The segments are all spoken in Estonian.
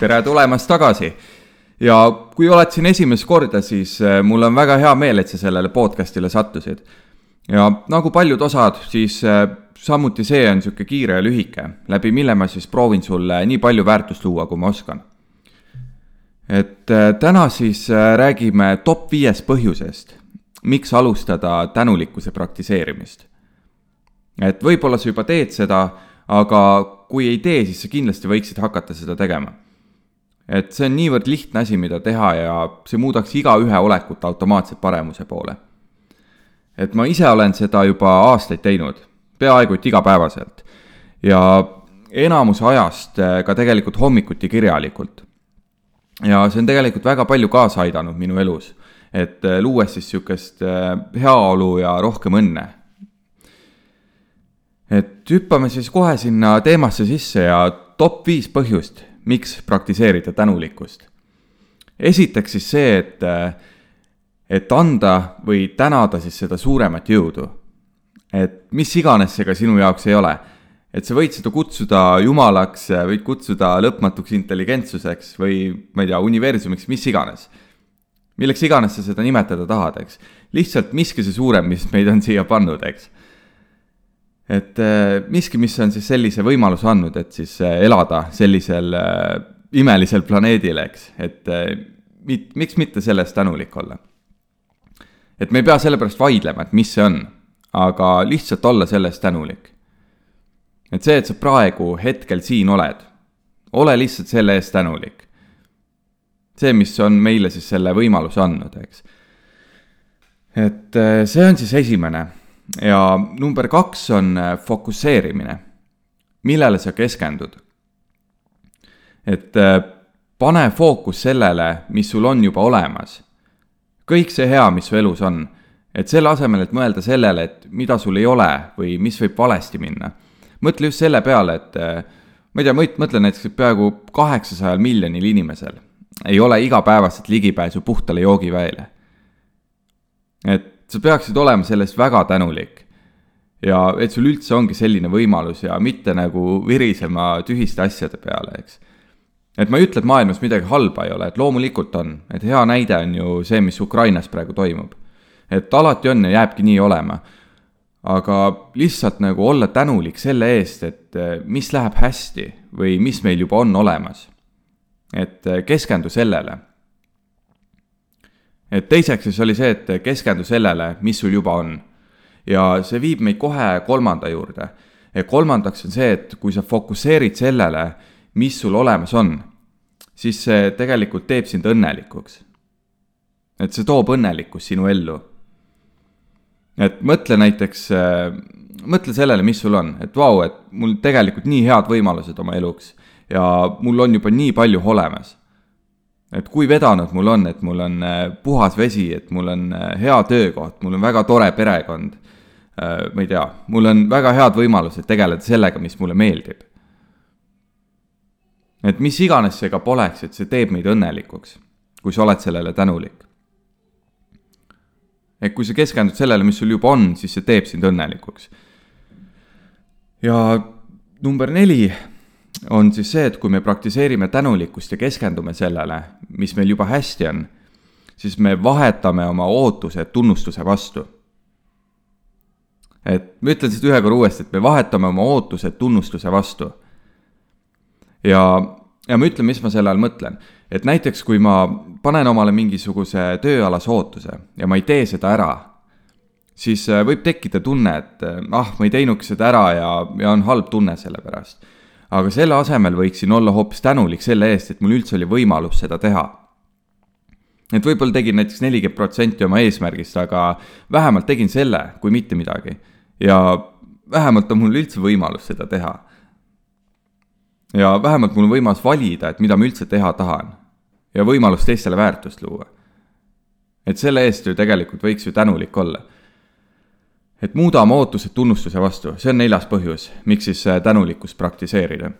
tere tulemast tagasi. Ja kui oled siin esimest korda, siis mul on väga hea meel, et sa sellele podcastile sattusid. Ja nagu paljud osad, siis samuti see on siuke kiire ja lühike, läbi mille ma siis proovin sulle nii palju väärtust luua, kui ma oskan. Et täna siis räägime top 5 põhjusest, miks alustada tänulikkuse praktiseerimist. Et võib-olla sa juba teed seda, aga kui ei tee, siis sa kindlasti võiksid hakata seda tegema. Et see on niivõrd lihtne asi, mida teha ja see muudaks igaühe olekut automaatselt paremuse poole. Et ma ise olen seda juba aastaid teinud, peaaegu et igapäevaselt. Ja enamus ajast ka tegelikult hommikuti kirjalikult. Ja see on tegelikult väga palju kaasa aidanud minu elus, et luues siis siukest heaolu ja rohkem õnne. Et hüppame siis kohe sinna teemasse sisse ja top 5 põhjust, miks praktiseerida tänulikkust. Esiteks siis see, et anda või tänada siis seda suuremat jõudu. Et mis iganes see ka sinu jaoks ei ole. Et sa võid seda kutsuda jumalaks, võid kutsuda lõpmatuks intelligentsuseks või ma ei tea, universumiks, mis iganes. Milleks iganes sa seda nimetada tahad, eks. Lihtsalt miski see suurem, mis meid on siia pannud, eks. Et miski, mis on siis sellise võimaluse andnud, et siis elada sellisel imelisel planeedil, eks. Et miks mitte sellest tänulik olla? Et me ei pea selle pärast vaidlema, et mis see on, aga lihtsalt olla sellest tänulik. Et see, et sa praegu hetkel siin oled, ole lihtsalt selle eest tänulik. See, mis on meile siis selle võimaluse andnud, eks. Et see on siis esimene. Ja number 2 on fokusseerimine, millele sa keskendud. Et pane fookus sellele, mis sul on juba olemas. Kõik see hea, mis su elus on. Et selle asemel, et mõelda sellele, et mida sul ei ole või mis võib valesti minna. Mõtle just selle peale, et ma ei tea, mõtle näiteks, et peaaegu 800 miljonil inimesel ei ole igapäevaselt ligipääsu puhtale joogiväele. Et sa peaksid olema sellest väga tänulik ja et sul üldse ongi selline võimalus ja mitte nagu virisema tühiste asjade peale, eks. Et ma ei ütle, et maailmas midagi halba ei ole, et loomulikult on, et hea näide on ju see, mis Ukrainas praegu toimub. Et alati on ja jääbki nii olema, aga lihtsalt nagu olla tänulik selle eest, et mis läheb hästi või mis meil juba on olemas. Et keskendu sellele. Et teiseks siis oli see, et keskendu sellele, mis sul juba on. Ja see viib meid kohe 3. juurde. Ja 3. on see, et kui sa fokusseerid sellele, mis sul olemas on, siis see tegelikult teeb sind õnnelikuks. Et see toob õnnelikkust sinu ellu. Et mõtle näiteks, mõtle sellele, mis sul on. Et vau, et mul tegelikult nii head võimalused oma eluks ja mul on juba nii palju olemas. Et kui vedanud mul on, et mul on puhas vesi, et mul on hea töökoht, mul on väga tore perekond, ma ei tea, mul on väga head võimalused tegeleda sellega, mis mulle meeldib. Et mis iganes see ka poleks, et see teeb meid õnnelikuks, kui sa oled sellele tänulik. Et kui sa keskendud sellele, mis sul juba on, siis see teeb sind õnnelikuks. Ja number 4 on siis see, et kui me praktiseerime tänulikkust ja keskendume sellele, mis meil juba hästi on, siis me vahetame oma ootused tunnustuse vastu. Et ma ütlen seda ühe korra uuesti, et me vahetame oma ootused tunnustuse vastu. Ja ma ütlen, mis ma selle all mõtlen. Et näiteks, kui ma panen omale mingisuguse tööalase ootuse ja ma ei tee seda ära, siis võib tekkida tunne, et ma ei teinuks seda ära ja on halb tunne selle pärast. Aga selle asemel võiksin olla hoopis tänulik selle eest, et mul üldse oli võimalus seda teha. Et võib-olla tegin näiteks 40% oma eesmärgist, aga vähemalt tegin selle, kui mitte midagi. Ja vähemalt on mul üldse võimalus seda teha. Ja vähemalt mul on võimalus valida, et mida ma üldse teha tahan. Ja võimalus teistele väärtust luua. Et selle eest ju tegelikult võiks ju tänulik olla. Et muuda oma ootused tunnustuse vastu, see on 4. põhjus, miks siis tänulikkust praktiseerida.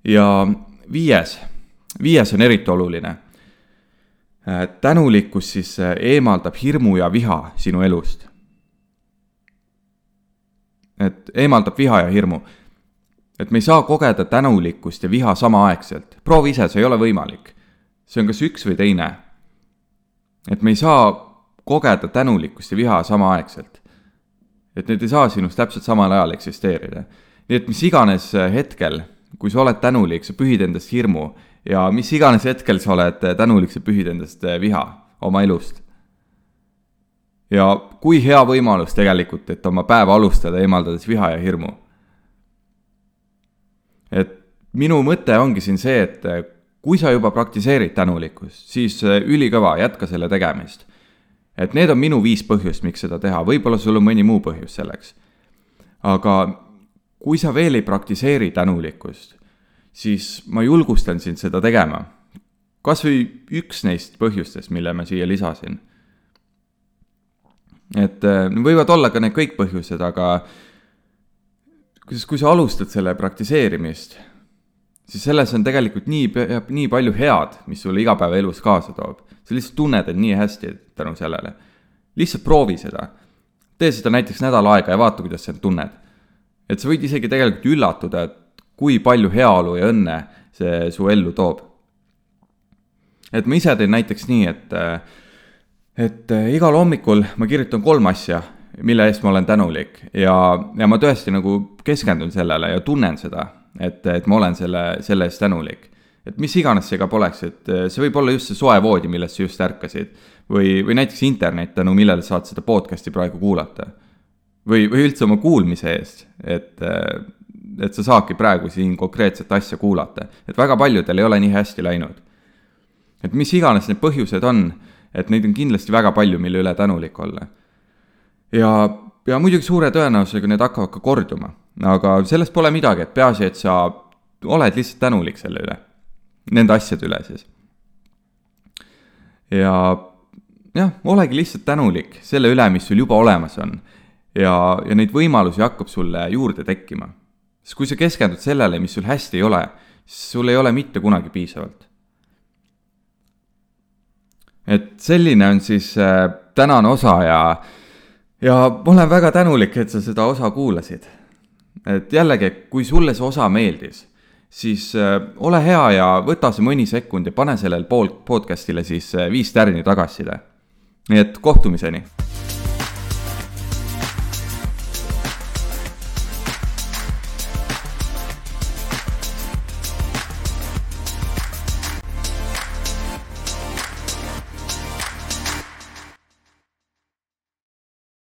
Ja 5 on eriti oluline. Tänulikkus siis eemaldab hirmu ja viha sinu elust. Et eemaldab viha ja hirmu. et me ei saa kogeda tänulikkust ja viha samaaegselt. Proovi ise, see ei ole võimalik. See on kas üks või teine. Et me ei saa kogeda tänulikkust ja viha samaaegselt. Et need ei saa sinust täpselt samal ajal eksisteerida. Nii et mis iganes hetkel, kui sa oled tänulik, sa pühid endast hirmu ja mis iganes hetkel sa oled tänulik, sa pühid endast viha oma elust. Ja kui hea võimalus tegelikult, et oma päeva alustada eemaldades viha ja hirmu. Et minu mõte ongi siin see, et kui sa juba praktiseerid tänulikkust, siis ülikõva, jätka selle tegemist. Et need on minu 5 põhjust, miks seda teha. Võib-olla sul on mõni muu põhjus selleks. Aga kui sa veel ei praktiseeri tänulikkust, siis ma julgustan sind seda tegema. Kas või üks neist põhjustest, mille ma siia lisasin. Et võivad olla ka need kõik põhjused, aga kui sa alustad selle praktiseerimist, siis selles on tegelikult nii palju head, mis sulle igapäeva elus kaasa toob. Sa lihtsalt tunned, et nii hästi tänu sellele. Lihtsalt proovi seda. Tee seda näiteks nädal aega ja vaata, kuidas sa tunned. Et sa võid isegi tegelikult üllatuda, et kui palju heaolu ja õnne see su ellu toob. Et ma ise teen näiteks nii, et igal hommikul ma kirjutan 3 asja, mille eest ma olen tänulik. Ja ma tõesti nagu keskendun sellele ja tunnen seda, et ma olen selle eest tänulik. Et mis iganes see ka poleks, et see võib olla just see soe voodi, millest sa just ärkasid. Või näiteks internet, tänu millele saad seda podcasti praegu kuulata. Või üldse oma kuulmise eest, et sa saadki praegu siin konkreetset asja kuulata. Et väga paljudel ei ole nii hästi läinud. Et mis iganes need põhjused on, et neid on kindlasti väga palju, mille üle tänulik olla. Ja muidugi suure tõenäosusega need hakkavad ka korduma. Aga sellest pole midagi, et peaasi, et sa oled lihtsalt tänulik selle üle. Nende asjade üle siis. Ja olegi lihtsalt tänulik selle üle, mis sul juba olemas on. Ja neid võimalusi hakkab sulle juurde tekkima. Sest kui sa keskendud sellele, mis sul hästi ei ole, siis sul ei ole mitte kunagi piisavalt. Et selline on siis tänane osa ja ma olen väga tänulik, et sa seda osa kuulasid. Et jällegi, kui sulle see osa meeldis, siis ole hea ja võta see mõni sekund ja pane sellel podcastile siis 5 tärni tagasiside. Nii et kohtumiseni!